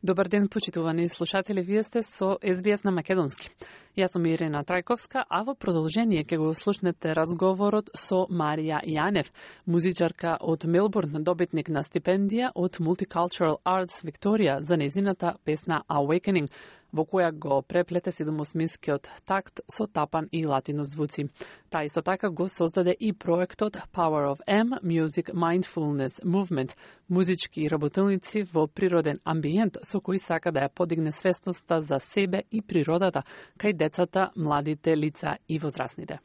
Добар ден, почитувани слушатели, вие сте со СБС на македонски. Јас сум Ирина Трајковска, а во продолжение ќе го слушнете разговорот со Марија Јанев, музичарка од Мелбурн, добитник на стипендија од Multicultural Arts Victoria за незината песна Awakening, во која го преплете седумосминскиот такт со тапан и латино звуци. Та исто така го создаде и проектот Power of M Music Mindfulness Movement, музички работилници во природен амбиент со кои сака да ја подигне свесноста за себе и природата кај децата, младите лица и возрастните.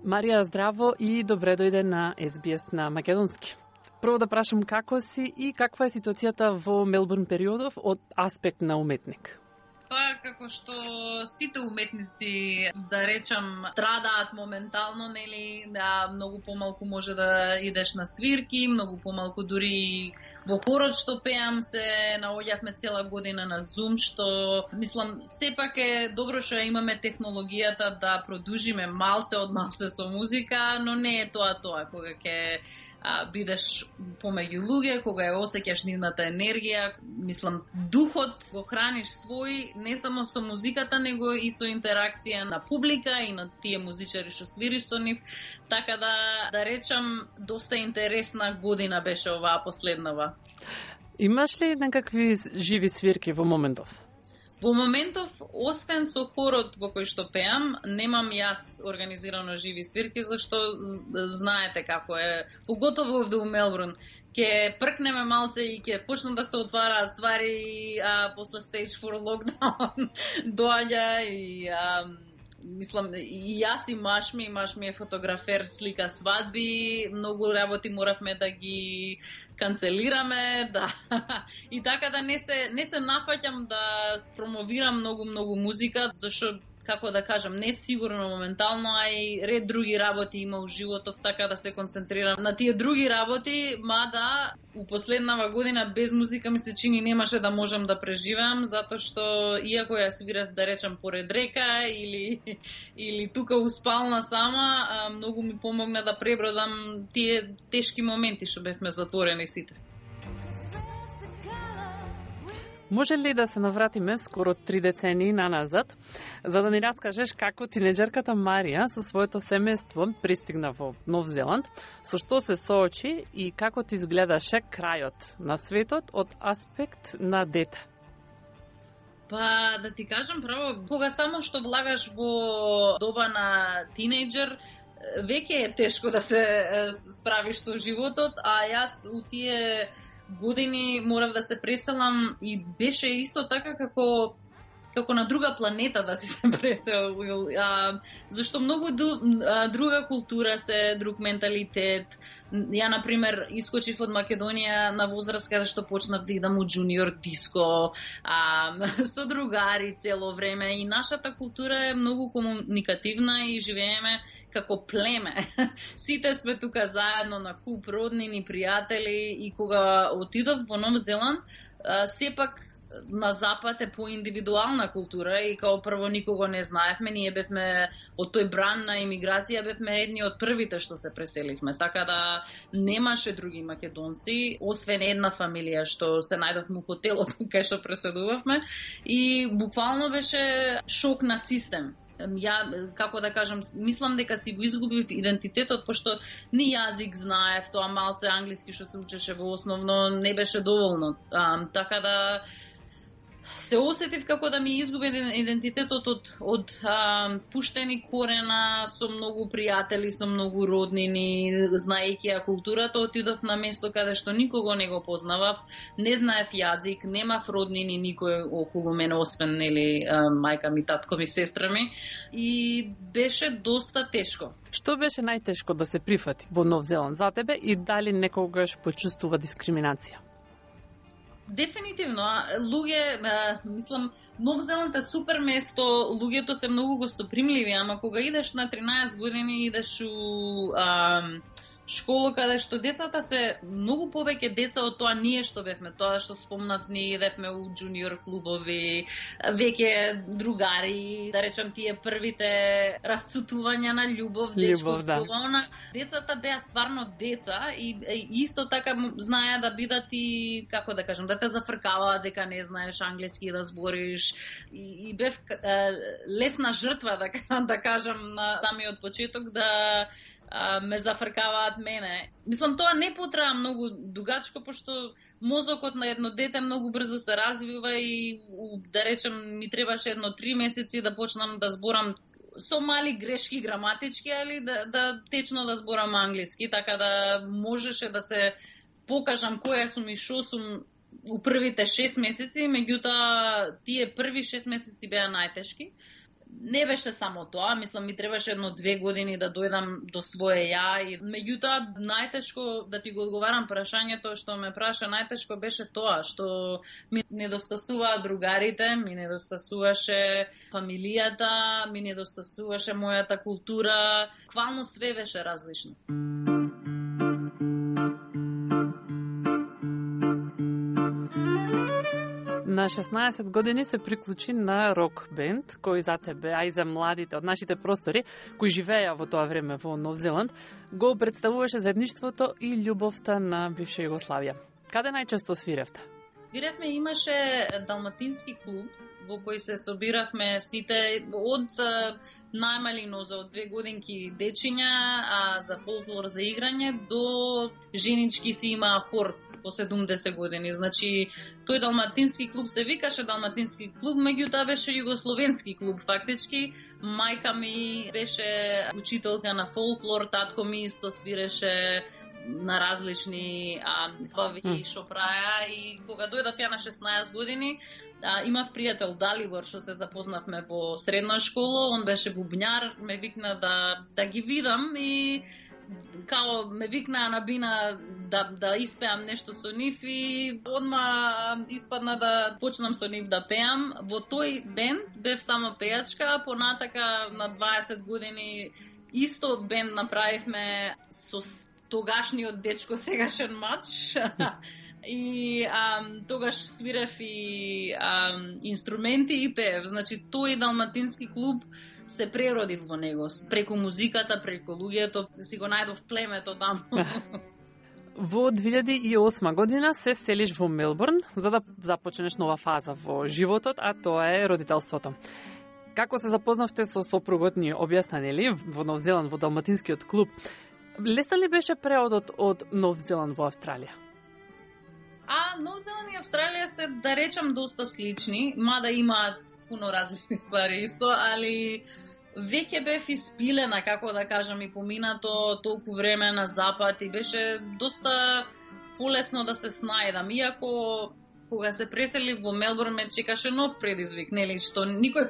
Марија, здраво и добре дојде на СБС на македонски. Прво да прашам како си и каква е ситуацијата во Мелбурн периодов од аспект на уметник? Па, како што сите уметници, да речам, страдаат моментално, нели, да многу помалку може да идеш на свирки, многу помалку дури во хорот што пеам се наоѓавме цела година на Zoom, што, мислам, сепак е добро што имаме технологијата да продужиме малце од малце со музика, но не е тоа кога ќе бидеш помеѓу луѓе, кога ја осеќаш нивната енергија, мислам, духот го храниш свој, не само со музиката, него и со интеракција на публика и на тие музичари што свириш со нив, така да речам, доста интересна година беше оваа последнава. Имаш ли некакви живи свирки во моментов? Во моментов, освен со хорот во кој што пеам, немам јас организирано живи свирки, зашто знаете како е, поготово овде у Мелбурн. Ке пркнеме малце и ке почнат да се отвараат ствари, после Stage 4 локдаун доаѓа и мислам, и јас и маш ми е фотографер, слика свадби, многу работи моравме да ги канцелираме, да. И така да не се нафаќам да промовирам многу музика, зашто, како да кажам, не сигурно моментално, а и ред други работи има у животов, така да се концентрирам на тие други работи, мада у последнава година без музика ми се чини немаше да можам да преживеам, затоа што иако ја свирев, да речам, поред река или тука у спална сама, многу ми помогна да пребродам тие тешки моменти што бевме затворени сите. Може ли да се навратиме скоро 3 децении наназад, за да ни раскажеш како тинеџерката Марија со своето семејство пристигна во Нов Зеланд, со што се соочи и како ти изгледаше крајот на светот од аспект на дете? Па, да ти кажам право, кога само што влагаш во доба на тинејџер, веќе е тешко да се справиш со животот, а јас у тие години морав да се преселам и беше исто така како на друга планета да си се преселил, зашто многу друга култура се, друг менталитет. Ја, например, искочив од Македонија на возраст каде што почнав да идам у джуниор диско, со другари цело време, и нашата култура е многу комуникативна и живееме како племе. Сите сме тука заедно на куп роднини, пријатели, и кога отидов во Нов Зеланд, сепак на запад е поиндивидуална култура и као прво никого не знаевме, ние бевме од тој бран на имиграција, бевме едни од првите што се преселивме, така да немаше други македонци, освен една фамилија што се најдовме у хотелот кај што преседувавме, и буквално беше шок на систем. Ја, како да кажам, мислам дека си го изгубив идентитетот, пошто ни јазик знаев, тоа малце англиски што се учеше во основно не беше доволно. Така да се осетив како да ми изгуби идентитетот од пуштени корена, со многу пријатели, со многу роднини, знаејќи ја културата, отидов на место каде што никого не го познавав, не знаев јазик, немав роднини никој околу мене, освен, нели, мајка ми, татко ми, сестра ми, и беше доста тешко. Што беше најтешко да се прифати во Нов Зеланд за тебе и дали некогаш почувствува дискриминација? Дефинитивно, луѓе, мислам, Нов Зеланд е супер место, луѓето се многу гостопримливи, ама кога идеш на 13 години, идеш школа каде што децата се многу повеќе деца од тоа ние што бевме, тоа што спомнав, ние идевме у джуниор клубови, веќе другари, да речам тие првите расцутувања на љубов, дечковствувана. Децата беа стварно деца и исто така знаеа да бидат и, како да кажам, да те зафркаваат дека не знаеш англиски да збориш и бев лесна жртва, да кажам, на самиот почеток да ме зафркаваат мене. Мислам, тоа не потреба многу дугачко, пошто мозокот на едно дете многу брзо се развива и, да речем, ми требаше едно 3 месеци да почнам да зборам со мали грешки граматички, али да течно да зборам англиски, така да можеше да се покажам која сум и шо сум у првите 6 месеци, меѓутоа тие први 6 месеци беа најтешки. Не беше само тоа, мислам ми требаше едно 2 години да дојдам до свое ја и меѓутоа најтешко, да ти го одговарам прашањето што ме праша, најтешко беше тоа што ми недостасуваа другарите, ми недостасуваше фамилијата, ми недостасуваше мојата култура, буквално све беше различно. На 16 години се приклучи на рок бенд, кој за тебе, а и за младите од нашите простори, кои живееа во тоа време во Нов Зеланд, го представуваше заедништвото и љубовта на бивша Југославија. Каде најчесто свиревте? Свиревме, имаше далматински клуб во кој се собиравме сите од најмали нозе, од 2 годинки дечиња, за фолклор, за играње, до женички си имаа хор по 70 години. Значи, тој далматински клуб се викаше далматински клуб, меѓутоа беше југословенски клуб фактички. Мајка ми беше учителка на фолклор, татко ми исто свиреше на различни бави што праја и кога дојдов ја на 16 години, имав пријател Далибор што се запознавме во средна школа, он беше бубњар, ме викна да ги видам и као ме викнаа на бина да испеам нешто со нив и одма испадна да почнам со нив да пеам. Во тој бенд бев само пејачка, а понатака на 20 години исто бенд направивме со тогашниот дечко, сегашен мач. И тогаш свирев и инструменти и пеев. Значи, тој далматински клуб се преродив во него. Преку музиката, преку луѓето, си го најдов племето таму. Во 2008 година се селиш во Мелбурн за да започнеш нова фаза во животот, а тоа е родителството. Како се запознавте со сопругот, ни објасна, нели, во Нов Зеланд, во далматинскиот клуб? Лесен ли беше преодот од Нов Зеланд во Австралија? Нов Зеланд и Австралија се, да речам, доста слични, мада имаат пуно различни ствари исто, али веќе бев испилена, како да кажам, и поминато толку време на запад и беше доста полесно да се снајдам. Иако кога се преселив во Мелбурн ме чекаше нов предизвик, нели, што никој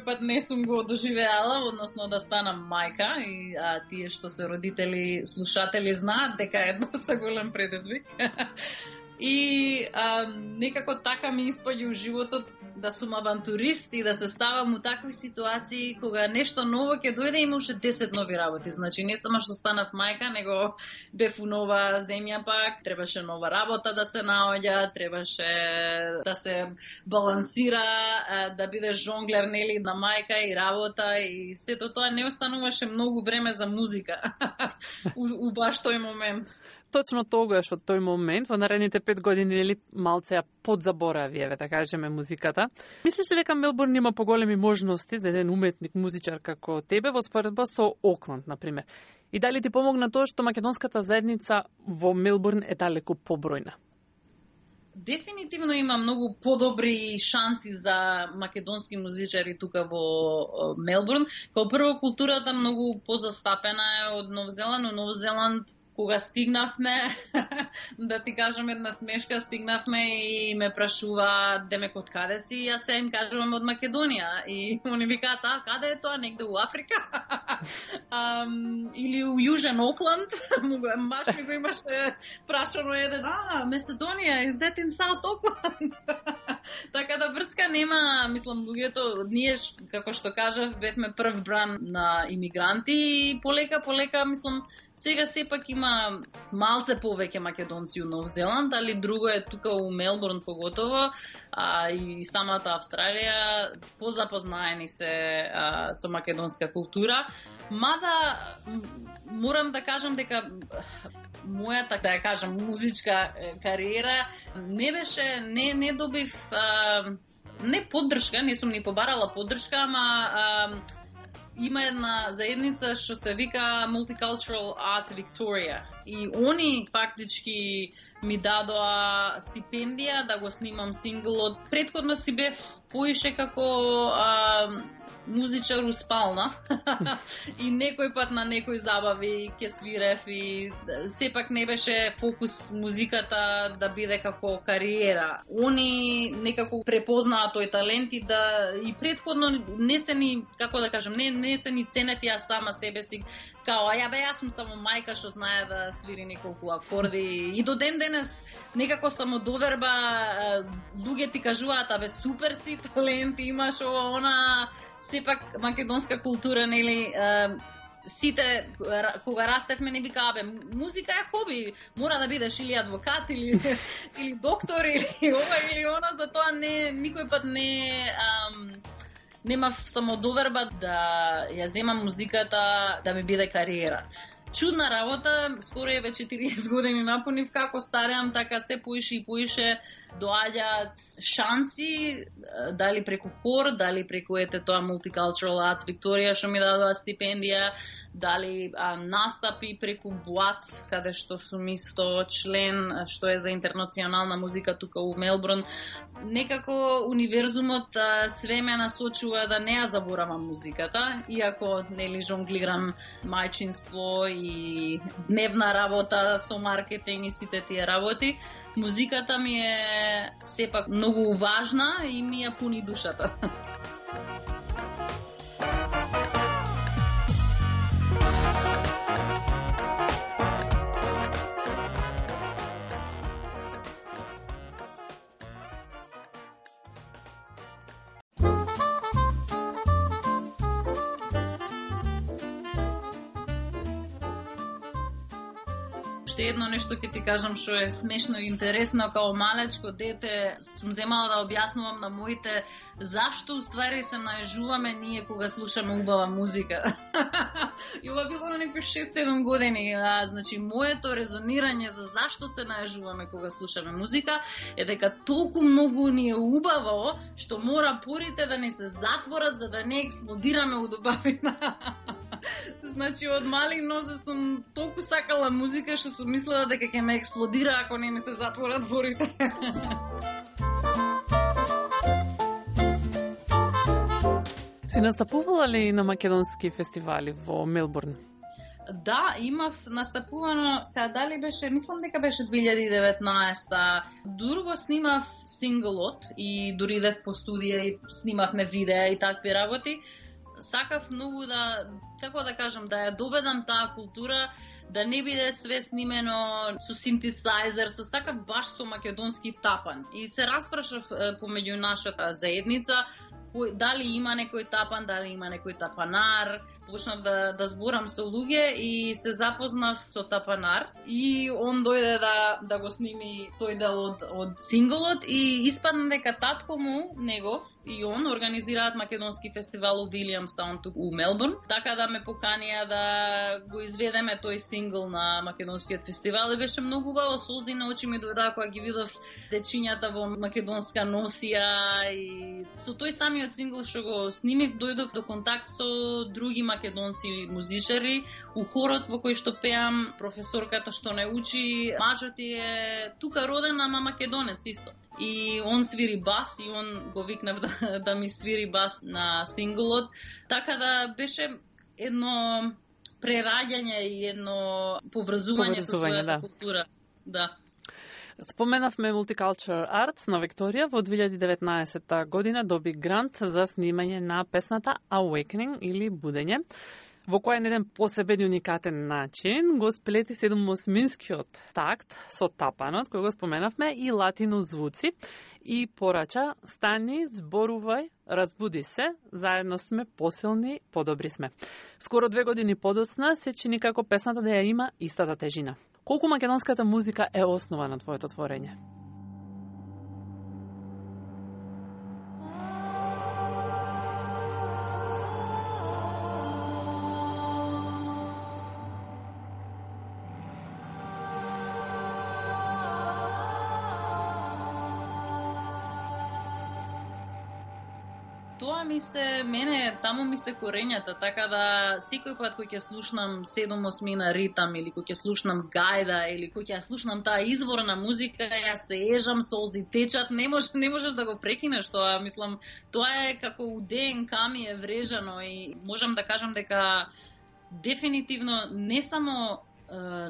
пат не сум го доживеала, односно да станам мајка и тие што се родители, слушатели знаат дека е доста голем предизвик. И некако така ми испаѓа животот да сум авантурист и да се ставам у такви ситуации кога нешто ново ќе дојде, има уште 10 нови работи. Значи не само што станав мајка, него бев у нова земја пак, требаше нова работа да се наоѓа, требаше да се балансира, да бидеш жонглер, нели, на мајка и работа и сето тоа не остануваше многу време за музика у баш тој момент. Точно тогаш, од тој момент, во наредните 5 години, нели, малце ја подзаборави, да кажеме, музиката. Мислиш ли дека Мелбурн има поголеми можности за еден уметник, музичар како тебе во споредба со Окланд, например? И дали ти помогна тоа што македонската заедница во Мелбурн е далеку побројна? Дефинитивно има многу подобри шанси за македонски музичари тука во Мелбурн. Као прво, културата многу позастапена е од Нов Зеланд. Но Нов Зеланд, кога стигнавме, да ти кажам една смешка, стигнавме и ме прашува демек од каде си, јас се им кажувам од Македонија. И они викаат, каде е тоа, негде у Африка? Или у Јужен Окланд? Баш ми го имаше прашано еден, Macedonија is that in South Auckland? Така да врска нема, мислам, луѓето, ние, како што кажав, бевме прв бран на имигранти и полека, мислам, сега сепак има малце повеќе македонци у Нов Зеланд, али друго е тука у Мелбурн поготово, и самата Австралија позапознаени се со македонска култура. Мада морам да кажам дека мојата, да ја кажам, музичка кариера не беше, не добив не поддршка, не сум ни побарала поддршка, ама има една заедница што се вика Multicultural Arts Victoria и они фактички ми дадоа стипендија да го снимам синглот. Претходно си бев поише како музичар у спална и некој пат на некој забави ќе свирев и сепак не беше фокус музиката да биде како кариера. Они некако препознаа тој талент и да и претходно не се ни, како да кажам, не се ни ценев ја сама себе си као јас сум само мајка што знае да свири неколку акорди и до ден денес некако самодоверба, луѓе ти кажуваат супер си, талент имаш ова она. Сепак македонска култура, нели, сите кога растевме не викаа музика е хоби, мора да бидеш или адвокат или доктор или ова или она, затоа никој пат немав самодоверба да ја земам музиката да ми биде кариера. Чудна работа, скоро е веќе 40 години напунив, како стареам, така се поише и поише доаѓаат шанси, дали преку хор, дали преку тоа Multicultural Arts Victoria што ми дадоа стипендија, дали настапи преку БУАТ, каде што сум исто член, што е за интернационална музика тука у Мелбурн. Некако универзумот све ме насочува да не ја заборавам музиката, иако нели жонглирам мајчинство и дневна работа со маркетинг и сите тие работи. Музиката ми е сепак многу важна и ми ја пуни душата. Едно нешто ќе ти кажам што е смешно и интересно, као малечко дете сум земала да објаснувам на моите зашто уствари се најжуваме ние кога слушаме убава музика. И ова било на некои 6-7 години. Значи, моето резонирање за зашто се најжуваме кога слушаме музика е дека толку многу ни е убаво што мора порите да ни се затворат за да не експлодираме од убавина. Значи, од мали нозе сум толку сакала музика што сум мислела дека ќе ме експлодира ако не ми се затворат дворите. Си настапувала ли на македонски фестивали во Мелбурн? Да, имав настапувано, сега дали беше, мислам дека беше 2019-та. Друго снимав синглот и дури идев по студија и снимавме видеа и такви работи. Сакав многу да, како да кажам, да ја доведам таа култура, да не биде све снимено со синтесајзер, сакав баш со македонски тапан. И се распрашав помеѓу нашата заедница, дали има некој тапан, дали има некој тапанар. Почнав да зборам со луѓе и се запознав со тапанар и он дојде да го сними тој дел од синглот и испадна дека татко му, негов, и он организираат македонски фестивал у Вилијамстаун тук у Мелбурн, така да ме поканија да го изведеме тој сингл на македонскиот фестивал и беше многу убаво, солзи на очи ми дојдоа кога ги видов дечињата во македонска носија и со тој самиот сингл што го снимив дојдов до контакт со други македонци музичари у хорот во кој што пеам. Професорката што не учи, мажот е тука роден, ама македонец исто. И он свири бас и он го викнав да ми свири бас на синглот. Така да беше едно прераѓање и едно поврзување со својата култура. Да. Споменавме Multicultural Arts на Викторија во 2019 година доби грант за снимање на песната Awakening или Будење, во која на еден посебен и уникатен начин го сплети 7/8-скиот такт со тапанот, кој го споменавме, и латино звуци. и порача: стани, зборувај, разбуди се, заедно сме посилни, подобри сме. Скоро 2 години подоцна се чини како песната да ја има истата тежина. Колку македонската музика е основа на твоето творење? Тоа таму ми се корењата, така да секој пат кој ќе слушнам 7/8 ритам или кој ќе слушнам гајда или кој ќе слушнам таа изворна музика, јас се ежам, солзи течат, не можеш да го прекинеш тоа, мислам, тоа е како у ДНК ми е врежано и можам да кажам дека дефинитивно не само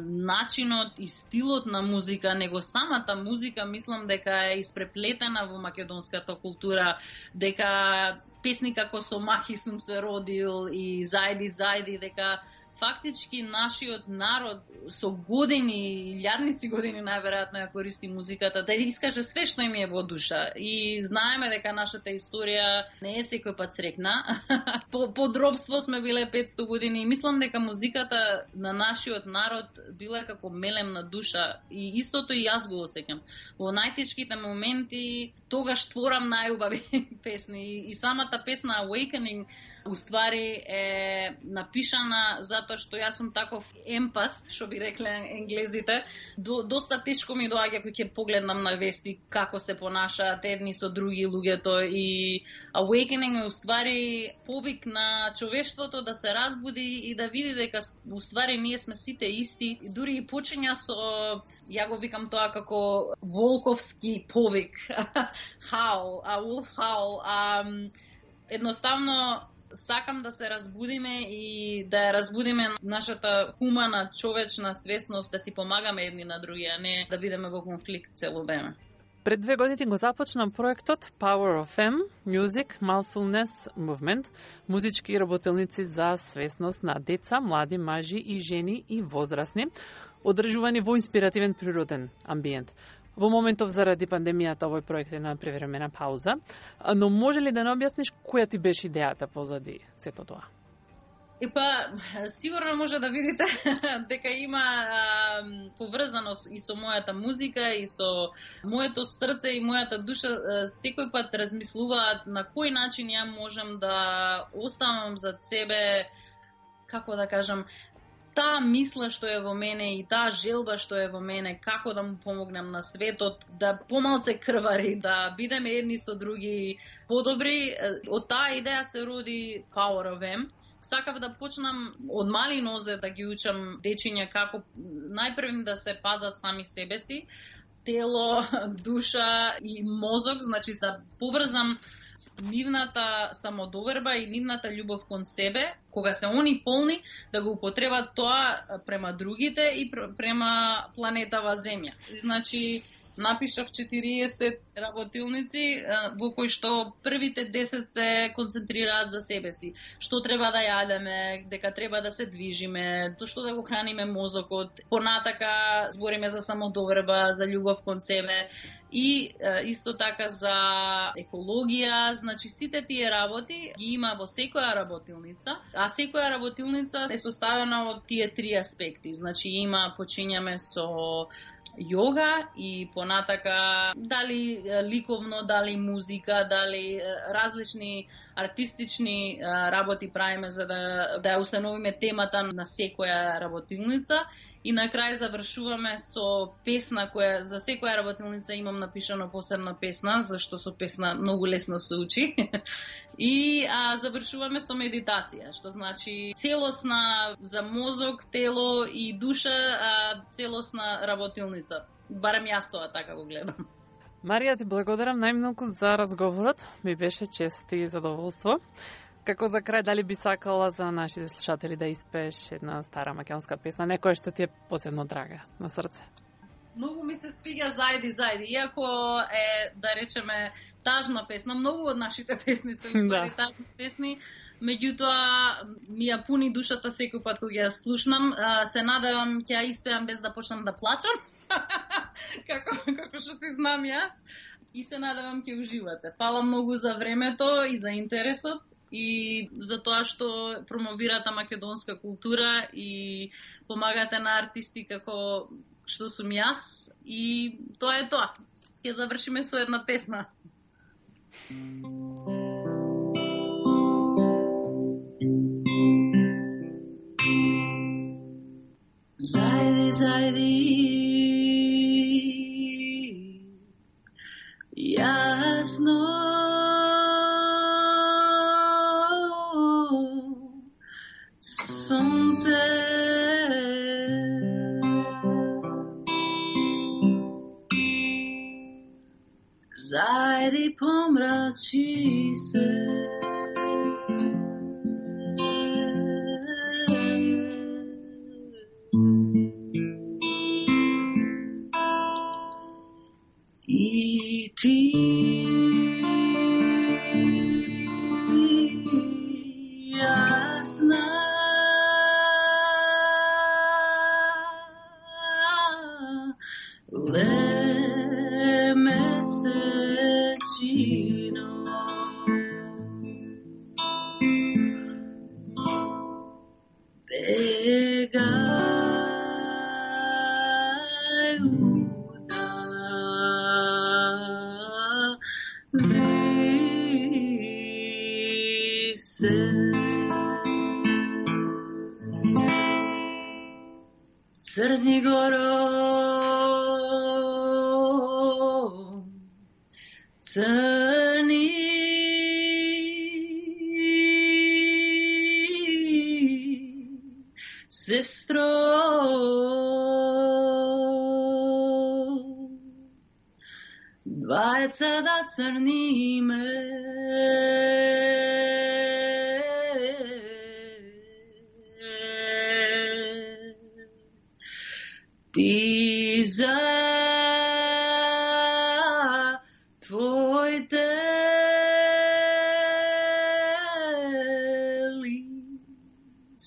начинот и стилот на музика, него самата музика, мислам дека е испреплетена во македонската култура, дека песни како Со махи сум се родил и Зајди, дека фактички нашиот народ со години, илјадници години најверојатно ја користи музиката да искаже све што им е во душа. И знаеме дека нашата историја не е секој пат срекна. По дробство сме биле 500 години и мислам дека музиката на нашиот народ била како мелем на душа и истото и јас го осеќам. Во најтешките моменти тогаш творам најубави песни и самата песна Awakening уствари е напишана затоа што јас сум таков емпат, што би рекле енглезите. Доста тешко ми доаѓа кога ќе погледнам на вести како се понашаат едни со други луѓето и Awakening е уствари повик на човештвото да се разбуди и да види дека уствари ние сме сите исти. И дури и почиња со, ја го викам тоа како волковски повик. Howl, a wolf howl. Едноставно сакам да се разбудиме и да ја разбудиме нашата хумана, човечна свесност, да си помагаме едни на други, а не да бидеме во конфликт цело време. Пред 2 години го започна проектот Power of M, Music Mindfulness Movement, музички работилници за свесност на деца, млади, мажи и жени и возрастни, одржувани во инспиративен природен амбиент. Во моментов заради пандемијата овој проект е на превремена пауза, но може ли да не објасниш која ти беше идејата позади сето тоа? Сигурно може да видите дека има поврзаност и со мојата музика, и со моето срце и мојата душа. Секој пат размислуваат на кој начин ја можам да оставам зад себе, како да кажам, таа мисла што е во мене и таа желба што е во мене, како да му помогнам на светот, да помалце крвари, да бидеме едни со други подобри. Од таа идеја се роди Power of M. Сакав да почнам од мали нозе да ги учам дечиња како најпрвим да се пазат сами себе си, тело, душа и мозок, значи да поврзам нивната самодоверба и нивната љубов кон себе, кога се они полни, да го употребат тоа према другите и према планетава Земја. Значи, напишав 40 работилници во кои што првите 10 се концентрираат за себе си. Што треба да јадеме, дека треба да се движиме, што да го храниме мозокот. Понатака збориме за самодоверба, за љубов кон себе и исто така за екологија. Значи сите тие работи ги има во секоја работилница, а секоја работилница е составена од тие 3 аспекти. Значи почињаме со јога и понатака дали ликовно, дали музика, дали различни артистични работи правиме за да ја установиме темата на секоја работилница и на крај завршуваме со песна која за секоја работилница имам напишано посебна песна, зашто со песна многу лесно се учи. И завршуваме со медитација, што значи целосна за мозок, тело и душа, целосна работилница. Барем јас тоа така го гледам. Марија, ти благодарам најмногу за разговорот. Ми беше чест и задоволство. Како за крај, дали би сакала за нашите слушатели да испееш една стара македонска песна, некоја што ти е посебно драга на срце? Многу ми се свиѓа Зајди, иако е, да речеме, тажна песна. Многу од нашите песни се уствари тажни песни, меѓутоа ми ја пуни душата секој пат кога ја слушнам. Се надевам ќе ја испеам без да почнам да плачам, како што си знам јас. и се надевам ќе уживате. Фала многу за времето и за интересот и за тоа што промовирате македонска култура и помагате на артисти како што сум јас и тоа е тоа. Ќе завршиме со една песна. Зајди, зајди, јасно сонце, зајди помрачи се, и ти јасна месечино, бегај удави се. Црни горо, црни сестро, двајца да црниме, ти за твоите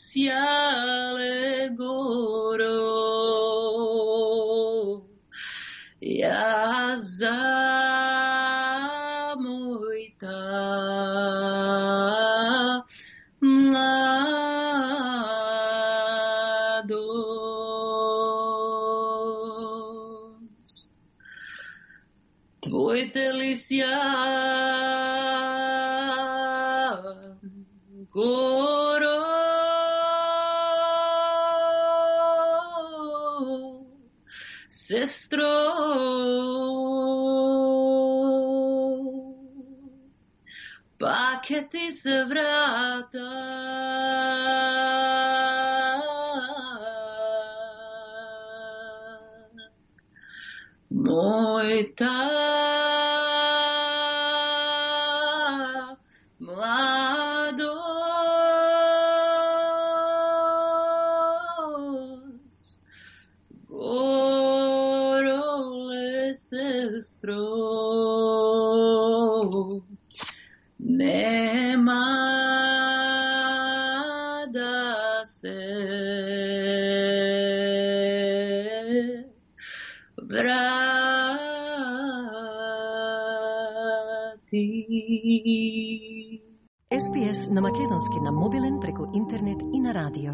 лисјале горо, јас за мојта младост. Твоите лисја горо, сестро, пак ќе ти се врата. Мојта младост, гороле сестро, нема да се врати. SPS на македонски на мобилен преку интернет и на радио.